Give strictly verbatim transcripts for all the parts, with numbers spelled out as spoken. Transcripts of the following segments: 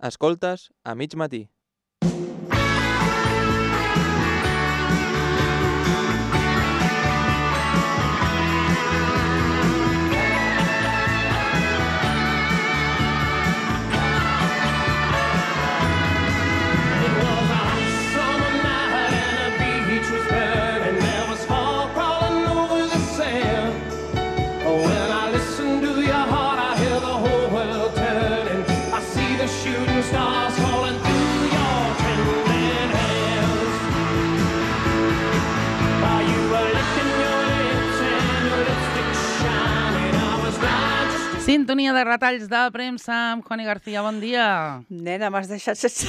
Escoltes a mig matí. Sintonia de retalls de premsa amb Juani García, bon dia. Nena, m'has deixat sense...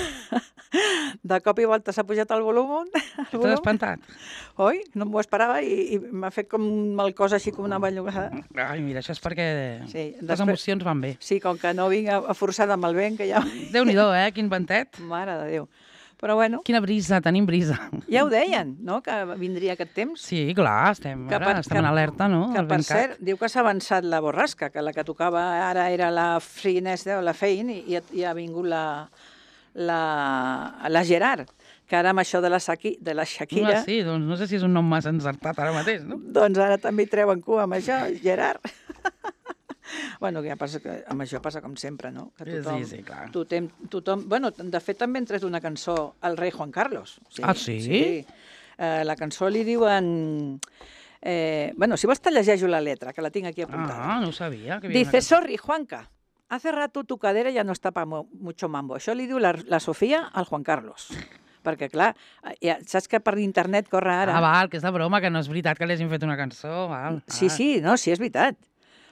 De cop i volta s'ha pujat el volum. T'has espantat? Oi? No m'ho esperava i, i m'ha fet com mal cosa, així com una bellugada. Ai, mira, això és perquè sí, les després... emocions van bé. Sí, com que no vinc a, a forçada amb el vent, que ja... Déu-n'hi-do, eh? Quin ventet. Mare de Déu. Però bueno... Quina brisa, tenim brisa. Ja ho deien, no?, que vindria aquest temps. Sí, clar, estem, que ara, per, estem que, en alerta, no? Que, per cert, diu que s'ha avançat la borrasca, que la que tocava ara era la Finesta o la Fein, i, i ha vingut la, la, la Gerard, que ara amb això de la, Saqui, de la Shakira... Ah, sí, doncs no sé si és un nom massa encertat ara mateix, no? Doncs ara també hi treuen cua amb això, Gerard. Bueno, ja passa que amb això passa com sempre, no? Que tothom, sí, sí, clar. Tothom, tothom, bueno, de fet també han tret una cançó al rei Juan Carlos. Sí, ah, sí? Sí. Eh, la cançó li diuen... Eh, bueno, si vols te llegeixo la letra, que la tinc aquí apuntada. Ah, no ho sabia. Que Dice, sorry, Juanca, hace rato tu cadera ya no está para mucho mambo. Això li diu la, la Sofia al Juan Carlos. Perquè, clar, ja, saps que per internet corre ara... Ah, val, que és de broma, que no és veritat que li hagin fet una cançó, val. Sí, ah. sí, no, sí, és veritat.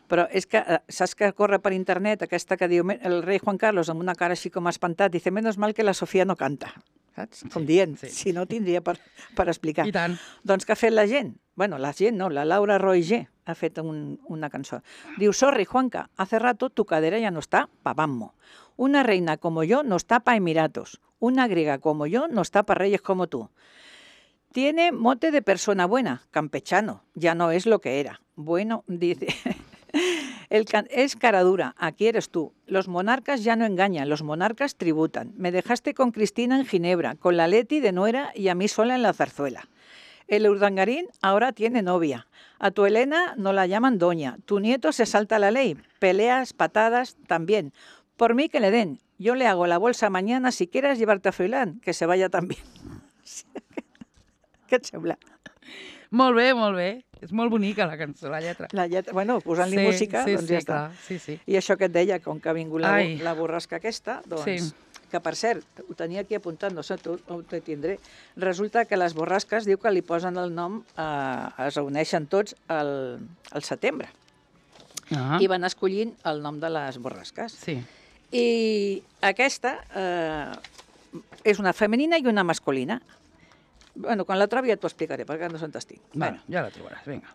Però és que, saps que corre per internet aquesta que diu el rei Juan Carlos amb una cara així com espantat, dice, menos mal que la Sofia no canta, saps? Com sí, dient, sí. Si no tindria per, per explicar. I tant. Doncs què ha fet la gent? Bueno, la gent no, la Laura Roy G ha fet un, una cançó. Diu, sorry, Juanca, hace rato tu cadera ya no está pa bammo. Una reina como yo no está pa Emiratos. Una griega como yo no está pa reyes como tú. Tiene mote de persona buena, campechano, ya no es lo que era. Bueno, dice... El can es cara dura, aquí eres tú. Los monarcas ya no engañan, los monarcas tributan. Me dejaste con Cristina en Ginebra, con la Leti de nuera y a mí sola en la zarzuela. El urdangarín ahora tiene novia. A tu Elena no la llaman doña. Tu nieto se salta la ley. Peleas, patadas, también. Por mí que le den. Yo le hago la bolsa mañana si quieres llevarte a Froilán, que se vaya también. Què et sembla? Molt bé, molt bé. És molt bonica la cançó, la lletra. La lletra, bueno, posant-li sí, música, sí, doncs sí, ja està. Clar, sí, sí. I això que et deia, com que ha vingut la, Ai. la borrasca aquesta, doncs, Sí. que per cert, ho tenia aquí apuntat, no sé, tu ho te tindré, resulta que les borrasques diu que li posen el nom, eh, es reuneixen tots al, al setembre, Ah. i van escollint el nom de les borrasques. Sí. I aquesta eh, és una femenina i una masculina. Bueno, quan la trobi ja t'ho explicaré, perquè no se'n t'estic. Bueno, ja la trobaràs, vinga.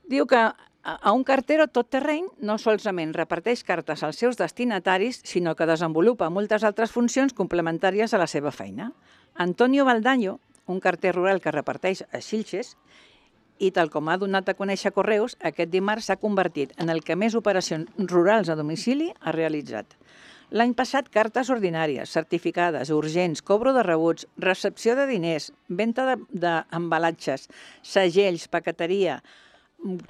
Diu que a un cartero tot terreny no solament reparteix cartes als seus destinataris, sinó que desenvolupa moltes altres funcions complementàries a la seva feina. Antonio Baldaño, un carter rural que reparteix a Xilxes, i tal com ha donat a conèixer Correus, aquest dimarts s'ha convertit en el que més operacions rurals a domicili ha realitzat. L'any passat, cartes ordinàries, certificades, urgents, cobro de rebuts, recepció de diners, venda d'embalatges, segells, paqueteria,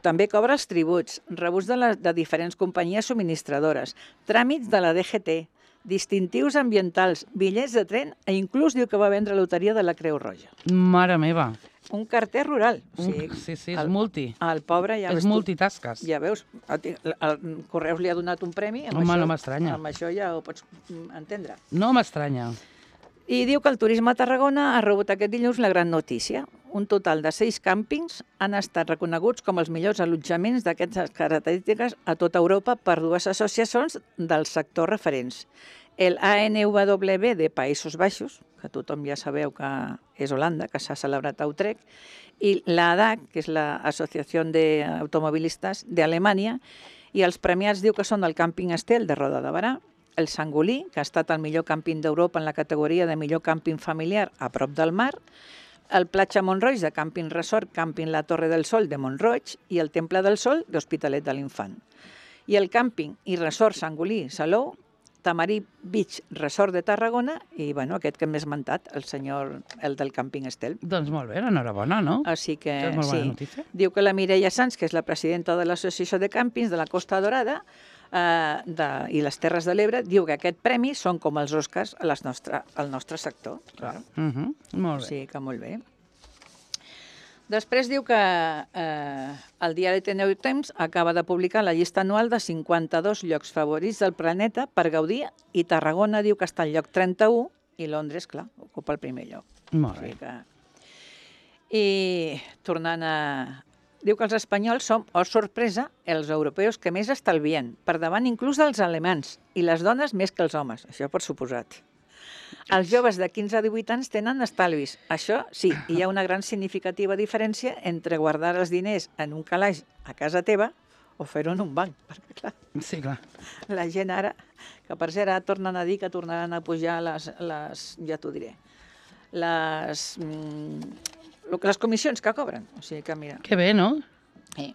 també cobra els tributs, rebuts de, les, de diferents companyies subministradores, tràmits de la D G T, distintius ambientals, bitllets de tren i inclús diu que va vendre loteria de la Creu Roja. Mare meva. Un carter rural. Un, sí, sí, sí, és el, multi. El pobre ja és veus multitasques. Tu, ja veus, el, el Correus li ha donat un premi. Home, això, no m'estranya. Amb això ja ho pots entendre. No m'estranya. I diu que el turisme a Tarragona ha rebut aquest dilluns la gran notícia. Un total de seis càmpings han estat reconeguts com els millors allotjaments d'aquestes característiques a tota Europa per dues associacions del sector referents. El A N W B de Països Baixos, que tothom ja sabeu que és Holanda, que s'ha celebrat a Utrecht, i l'A D A C, que és l'Associació d'Automobilistes d'Alemanya, i els premiats diu que són el càmping Estel de Roda de Barà, el Sangolí, que ha estat el millor càmping d'Europa en la categoria de millor càmping familiar a prop del mar, el Platja Montroig de Càmping Resort, Càmping La Torre del Sol de Montroig i el Temple del Sol d'Hospitalet de l'Infant. I el càmping i resort Sangolí Salou Tamarí Beach Resort de Tarragona i, bueno, aquest que m'he esmentat, el senyor, el del càmping Estel. Doncs molt bé, enhorabona, no? Així que, Això és molt bona sí. notícia. Diu que la Mireia Sanz, que és la presidenta de l'Associació de Càmpings de la Costa Dorada eh, de, i les Terres de l'Ebre, diu que aquest premi són com els Oscars a les nostre, al nostre sector. Clar. Uh -huh. Molt bé. Sí, que molt bé. Després diu que eh, el diari The New Times acaba de publicar la llista anual de cinquanta-dos llocs favorits del planeta per gaudir i Tarragona diu que està al lloc trenta-u i Londres, clar, ocupa el primer lloc. Molt bé. O sigui que... I tornant a... Diu que els espanyols som, oh sorpresa, els europeus que més estalvien, per davant inclús dels alemans, i les dones més que els homes, això per suposat. Els joves de quinze a divuit anys tenen estalvis. Això sí, hi ha una gran significativa diferència entre guardar els diners en un calaix a casa teva o fer-ho en un banc. Perquè, clar, Sí, clar. la gent ara, que per cert ara tornen a dir que tornaran a pujar les, les ja t'ho diré, les, mm, lo que- les comissions que cobren. O sigui que, mira, Que bé, no? eh,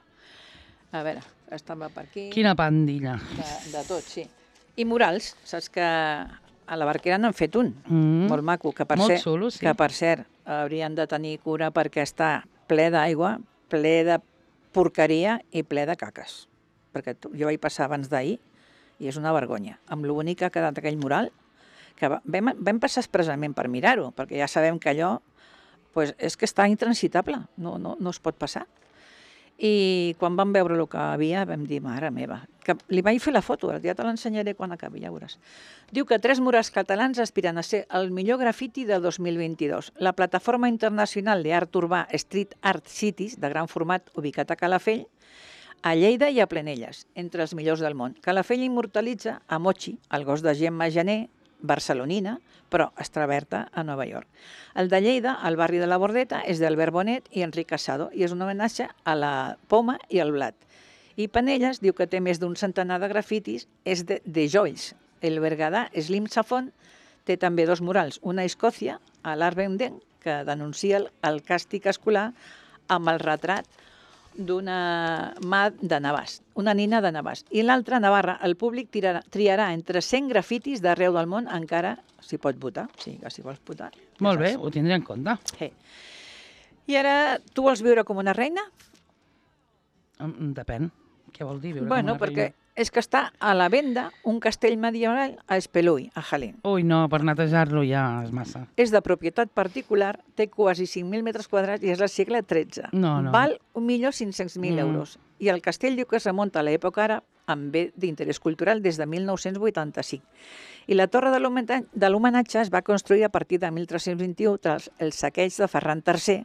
a veure, estava per aquí, Quina pandilla. de, de tot, sí. I murals, saps que a la Barquera n'han fet un, Mm. molt maco, que per, Molt cert, xulo, sí. que per cert haurien de tenir cura perquè està ple d'aigua, ple de porqueria i ple de caques. Perquè tu, jo vaig passar abans d'ahir i és una vergonya. Amb lo bonic que ha quedat aquell mural, que va, vam, vam passar expressament per mirar-ho, perquè ja sabem que allò pues, és que està intransitable, no, no, no es pot passar. I quan vam veure el que havia vam dir, mare meva, que li vaig fer la foto, ja te l'ensenyaré quan acabi, ja veuràs. Diu que tres murals catalans aspiren a ser el millor grafiti de dos mil vint-i-dos. La plataforma internacional d'art urbà Street Art Cities, de gran format, ubicat a Calafell, a Lleida i a Plenelles, entre els millors del món. Calafell immortalitza a Mochi, el gos de Gemma Jané, barcelonina, però extraverta a Nova York. El de Lleida, al barri de la Bordeta, és d'Albert Bonet i Enric Casado i és un homenatge a la poma i al blat. I Penelles diu que té més d'un centenar de grafitis, és de, de Joyce. El berguedà Slim Safon té també dos murals, una a Escòcia, a l'Arvenden, que denuncia el, el càstig escolar amb el retrat d'una mà de Navàs, una nina de Navàs. I l'altra, a Navarra, el públic tirarà, triarà entre cent grafitis d'arreu del món, encara s'hi pot votar, sí, que si vols votar. Molt ja bé, saps. ho tindré en compte. Sí. I ara, tu vols viure com una reina? Mm, Depèn. Què vol dir? Viure Bueno, com una perquè reina? és que està a la venda un castell medieval a Espelui, a Jaén. Ui, no, per netejar-lo ja és massa. És de propietat particular, té quasi cinc mil metres quadrats i és del segle tretze. No, no. Val un milió cinc-cents mil Mm. euros. I el castell diu que es remunta a l'època àrab amb bé d'interès cultural des de mil nou-cents vuitanta-cinc. I la torre de l'homenatge de l'homenatge es va construir a partir de mil tres-cents vint-i-u tras el saqueig de Ferran tercer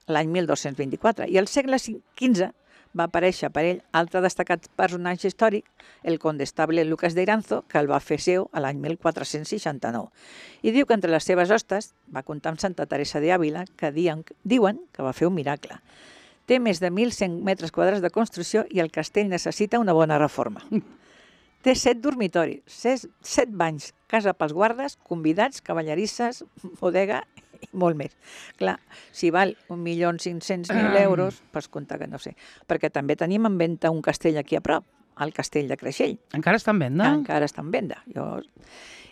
l'any mil dos-cents vint-i-quatre. I al segle quinze va aparèixer per ell altre destacat personatge històric, el condestable Lucas de Iranzo, que el va fer seu a l'any mil quatre-cents seixanta-nou. I diu que entre les seves hostes va comptar amb Santa Teresa de Àvila, que diuen, diuen que va fer un miracle. Té més de mil cent metres quadrats de construcció i el castell necessita una bona reforma. Té set dormitoris, set, set banys, casa pels guardes, convidats, cavallerisses, bodega i molt més. Clar, si val un milió cinc-cents mil euros, pots comptar que no sé. Perquè també tenim en venda un castell aquí a prop, el castell de Creixell. Encara està en venda? Que encara està en venda. Jo...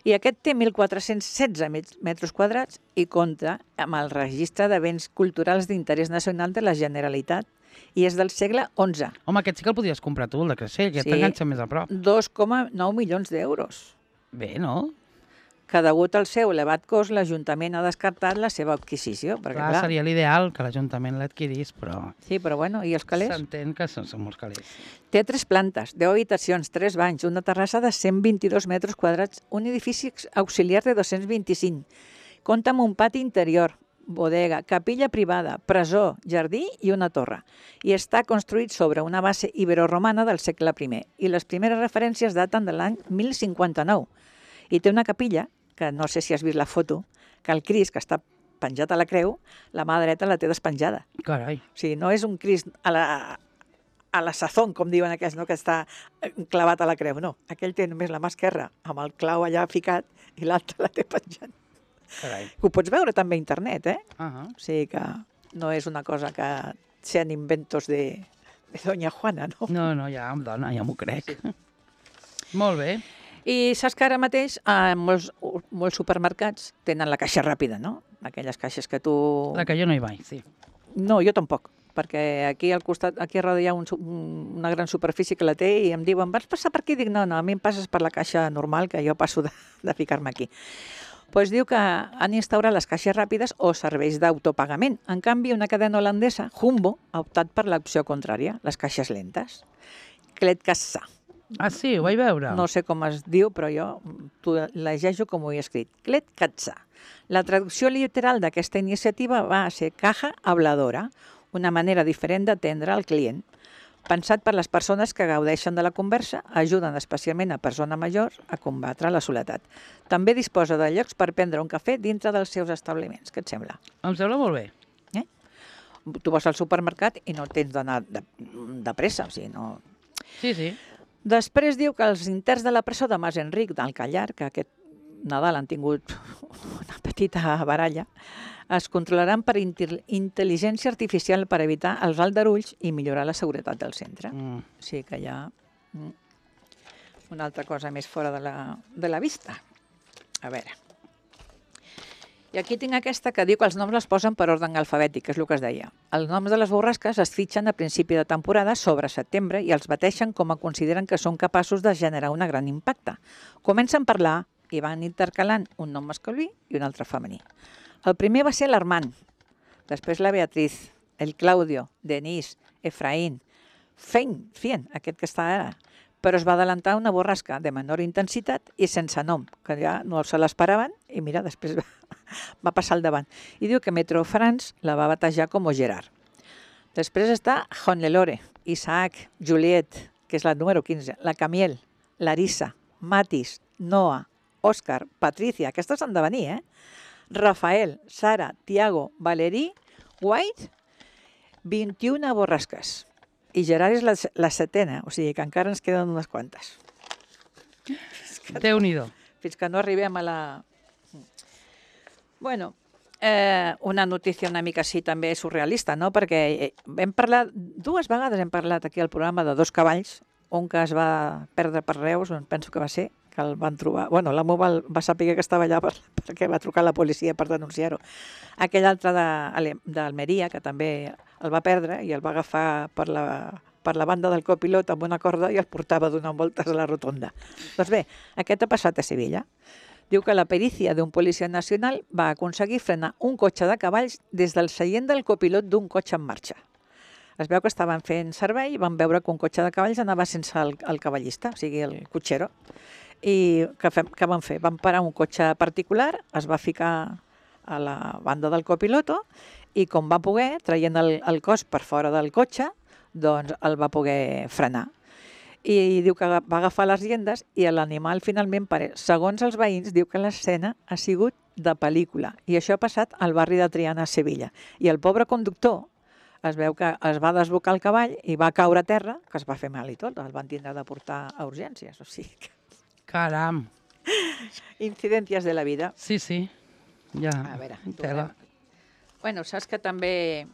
I aquest té mil quatre-cents setze metres quadrats i compta amb el registre de béns culturals d'interès nacional de la Generalitat i és del segle onze. Home, aquest sí que el podies comprar tu, el de Creixell, que Sí. t'enganxa més a prop. dos coma nou milions d'euros. Bé, no? Que degut al seu elevat cost, l'Ajuntament ha descartat la seva adquisició. Perquè, Clar, clar, seria l'ideal que l'Ajuntament l'adquirís, però Sí, però bueno, i els calés? s'entén que són, són molts calés. Té tres plantes, deu habitacions, tres banys, una terrassa de cent vint-i-dos metres quadrats, un edifici auxiliar de dos-cents vint-i-cinc. Compta amb un pati interior, bodega, capella privada, presó, jardí i una torre. I està construït sobre una base iberoromana del segle primer. I les primeres referències daten de l'any mil cinquanta-nou. I té una capilla, que no sé si has vist la foto, que el Crist, que està penjat a la creu, la mà dreta la té despenjada. Carai. O sigui, no és un Crist a la, a la sazón, com diuen aquells, no? Que està clavat a la creu, no. Aquell té només la mà esquerra, amb el clau allà ficat, i l'altre la té penjant. Carai. Ho pots veure també a internet, eh? Uh -huh. O sigui que no és una cosa que sean inventos de, de doña Juana, no? No, no, ja, dona, ja m'ho crec. Sí. Molt bé. I saps que ara mateix eh, molts, molts supermercats tenen la caixa ràpida, no? Aquelles caixes que tu... La que jo no hi vaig, sí. No, jo tampoc, perquè aquí al costat, aquí a darrere hi ha un, su- un- una gran superfície que la té i em diuen, vas passar per aquí? Dic, no, no, a mi em passes per la caixa normal, que jo passo de, de ficar-me aquí. Pues diu que han instaurat les caixes ràpides o serveis d'autopagament. En canvi, una cadena holandesa, Jumbo, ha optat per l'opció contrària, les caixes lentes. Kletkassa. Ah, sí, ho vaig veure. No sé com es diu, però jo t'ho llegeixo com ho he escrit. Kletkassa. La traducció literal d'aquesta iniciativa va ser caja habladora, una manera diferent d'atendre el client. Pensat per les persones que gaudeixen de la conversa, ajuden especialment a persones majors a combatre la soledat. També disposa de llocs per prendre un cafè dintre dels seus establiments. Què et sembla? Em sembla molt bé. Eh? Tu vas al supermercat i no tens d'anar de, de pressa, o sigui, no... Sí, sí. Després diu que els interns de la presó de Mas Enric del Callar, que aquest Nadal han tingut una petita baralla, es controlaran per intel- intel·ligència artificial per evitar els aldarulls i millorar la seguretat del centre. Mm. O sigui que hi ha mm, una altra cosa més fora de la, de la vista. A veure. I aquí tinc aquesta que diu que els noms les posen per ordre alfabètic, que és el que es deia. Els noms de les borrasques es fitxen a principi de temporada sobre setembre i els bateixen com a consideren que són capaços de generar un gran impacte. Comencen per la A i van intercalant un nom masculí i un altre femení. El primer va ser l'Armand, després la Beatriz, el Claudio, Denís, Efraín, Fein, Fien, aquest que està ara, però es va adelantar una borrasca de menor intensitat i sense nom, que ja no se l'esperaven i mira, després va, va passar al davant. I diu que Metro France la va batejar com Gerard. Després està Honlelore, Isaac, Juliet, que és la número quinze, la Camiel, Larissa, Matis, Noa, Òscar, Patricia, aquestes han de venir, eh? Rafael, Sara, Tiago, Valerí, White, vint-i-una borrasques. I Gerard és la, la setena, o sigui que encara ens queden unes quantes. Déu-n'hi-do. Fins que no arribem a la... Bueno, eh, una notícia una mica així també surrealista, no? Perquè eh, hem parlat, dues vegades hem parlat aquí al programa de dos cavalls, un que es va perdre per Reus, on penso que va ser, que el van trobar... Bueno, l'amo va, va saber que estava allà per, perquè va trucar a la policia per denunciar-ho. Aquell altre de- d'Almeria, que també el va perdre i el va agafar per la, per la banda del copilot amb una corda i el portava donant voltes a la rotonda. Doncs bé, aquest ha passat a Sevilla. Diu que la perícia d'un policia nacional va aconseguir frenar un cotxe de cavalls des del seient del copilot d'un cotxe en marxa. Es veu que estaven fent servei i van veure que un cotxe de cavalls anava sense el, el cavallista, o sigui, el cotxero. I què, fem, què van fer? Van parar un cotxe particular, es va ficar a la banda del copiloto i com va poder, traient el, el cos per fora del cotxe, doncs el va poder frenar. I diu que va agafar les riendes i l'animal finalment, segons els veïns, diu que l'escena ha sigut de pel·lícula. I això ha passat al barri de Triana, a Sevilla. I el pobre conductor es veu que es va desbocar el cavall i va caure a terra, que es va fer mal i tot, el van tindre de portar a urgències. O sigui que... Caram. Incidències de la vida. Sí, sí. Ja, A veure, tela. Bueno, saps que també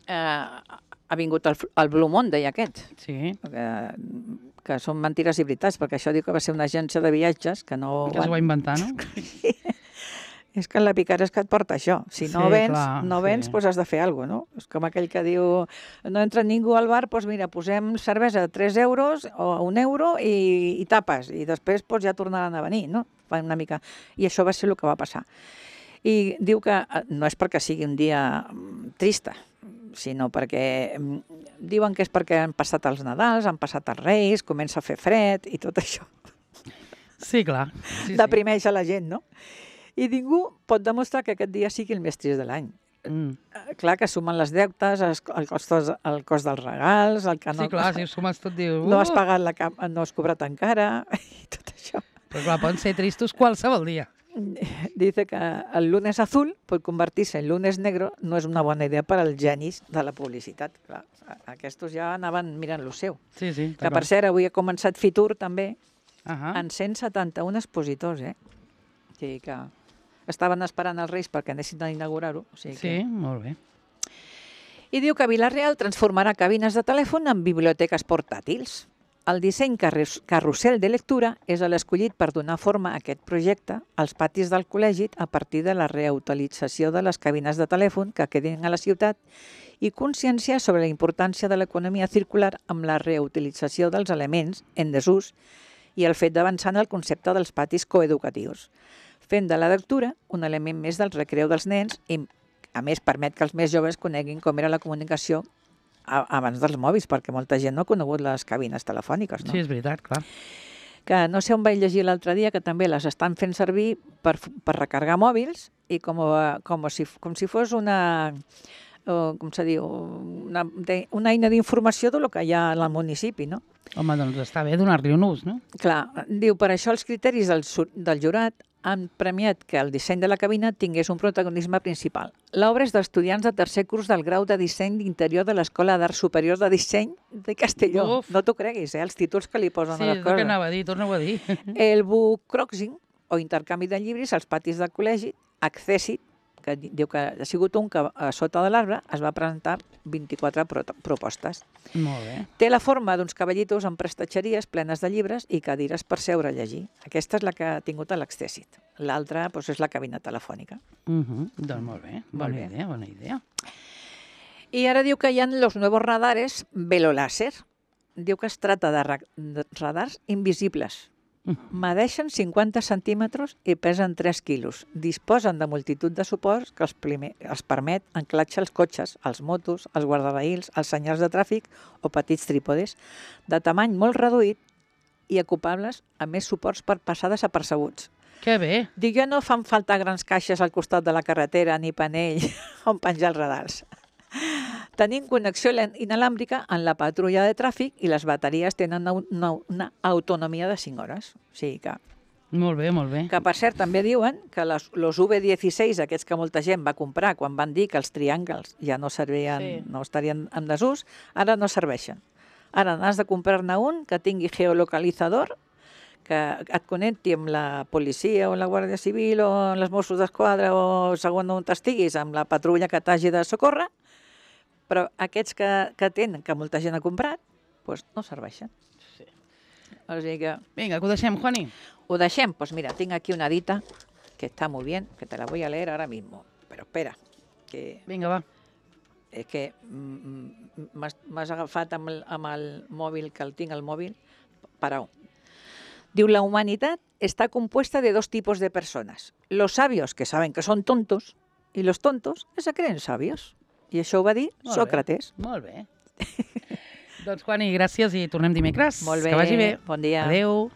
eh, ha vingut el, el Blue Monday aquest, Sí, que, que són mentires i veritats, perquè això diu que va ser una agència de viatges que no... que es va inventar, no? És que la picara és que et porta això. Si no Sí, vens, clar, no vens, sí. doncs has de fer alguna cosa, no? És com aquell que diu, no entra ningú al bar, doncs mira, posem cervesa a tres euros o a un euro i, i tapes, i després doncs, ja tornaran a venir, no? Fa una mica... I això va ser el que va passar. I diu que no és perquè sigui un dia mm, trista, sinó perquè mm, diuen que és perquè han passat els Nadals, han passat els Reis, comença a fer fred i tot això. Sí, clar. Sí, Deprimeix a la gent, no? I ningú pot demostrar que aquest dia sigui el més trist de l'any. sí. Mm. Eh, Clar que sumen les deutes, els- el cost, el cost dels regals, el que no, Sí, clar, si ho sumes tot, dius... no has "Uh!" pagat la cap, no has cobrat encara, i tot això. Però clar, poden ser tristos qualsevol dia. Dice que el lunes azul pot convertir-se en lunes negro no és una bona idea per als genis de la publicitat. Clar, aquests ja anaven mirant lo seu. Sí, sí. Que, per cert, avui ha començat Fitur també, Ah. en cent setanta-un expositors, eh? O sigui que estaven esperant els Reis perquè anessin a inaugurar-ho. O sigui Sí, que... molt bé. I diu que Vila-real transformarà cabines de telèfon en biblioteques portàtils. El disseny carrus- carrusel de lectura és l'escollit per donar forma a aquest projecte als patis del col·legi a partir de la reutilització de les cabines de telèfon que quedin a la ciutat i conscienciar sobre la importància de l'economia circular amb la reutilització dels elements en desús i el fet d'avançar en el concepte dels patis coeducatius, fent de la lectura un element més del recreu dels nens i, a més, permet que els més joves coneguin com era la comunicació a- abans dels mòbils, perquè molta gent no ha conegut les cabines telefòniques, no? Sí, és veritat, clar. Que no sé on vaig llegir l'altre dia, que també les estan fent servir per, f- per recargar mòbils i com, a- com, si, com si fos una, o, com se diu, una, de, una eina d'informació del que hi ha al municipi, no? Home, doncs està bé donar-li un ús, no? Clar, diu, per això els criteris del, su- del jurat han premiat que el disseny de la cabina tingués un protagonisme principal. L'obra és d'estudiants de tercer curs del grau de disseny d'interior de l'Escola d'Arts Superiors de Disseny de Castelló. Uf. No t'ho creguis, eh? Els títols que li posen Sí, a les és el que coses. anava a dir, torna-ho a dir. El bookcroxing, o intercanvi de llibres als patis del col·legi, Accessit, que di- diu que ha sigut un que a sota de l'arbre es va presentar vint-i-quatre pro propostes. Molt bé. Té la forma d'uns cavallitos amb prestatgeries plenes de llibres i cadires per seure a llegir. Aquesta és la que ha tingut l'Accessit. L'altra doncs, és la cabina telefònica. Uh -huh. Doncs molt bé, bona Molt bé. idea, bona idea. I ara diu que hi ha los nuevos radares veloláser. Diu que es trata de, ra de radars invisibles. Medeixen cinquanta centímetres i pesen tres quilos. Disposen de multitud de suports que els, primer, els permet anclatge als cotxes, als motos, als guardarraïls, als senyals de tràfic o petits trípodes, de tamany molt reduït i ocupables amb més suports per passar desapercebuts. Que bé. Diu, ja no fan falta grans caixes al costat de la carretera ni panell on penjar els radars. Tenim connexió len- inalàmbrica en la patrulla de tràfic i les bateries tenen una, una, una autonomia de cinc hores. O sigui que, Molt bé, molt bé. que per cert, també diuen que les, los U V dieciséis, aquests que molta gent va comprar quan van dir que els triangles ja no servien, Sí. no estarien en desús, ara no serveixen. Ara n'has de comprar-ne un que tingui geolocalitzador, que et connecti amb la policia o la Guàrdia Civil o els Mossos d'Esquadra o segons on estiguis, amb la patrulla que t'hagi de socórrer, però aquests que, que tenen, que molta gent ha comprat, doncs no serveixen. Sí. O sigui que Vinga, que ho deixem, Juani. ho deixem. Pues mira, tinc aquí una dita que está muy bien, que te la voy a leer ahora mismo. Pero espera, que Vinga, va. és que mm, m'has m'has agafat amb el, amb el mòbil, que el tinc al mòbil, parau. Diu, la humanitat está compuesta de dos tipos de personas. Los sabios, que saben que son tontos, y los tontos, que se creen sabios. I això ho va dir Molt bé. Sòcrates. Molt bé. Doncs, Juani, gràcies i tornem dimecres. Molt bé, Que vagi bé. bon dia. Adéu.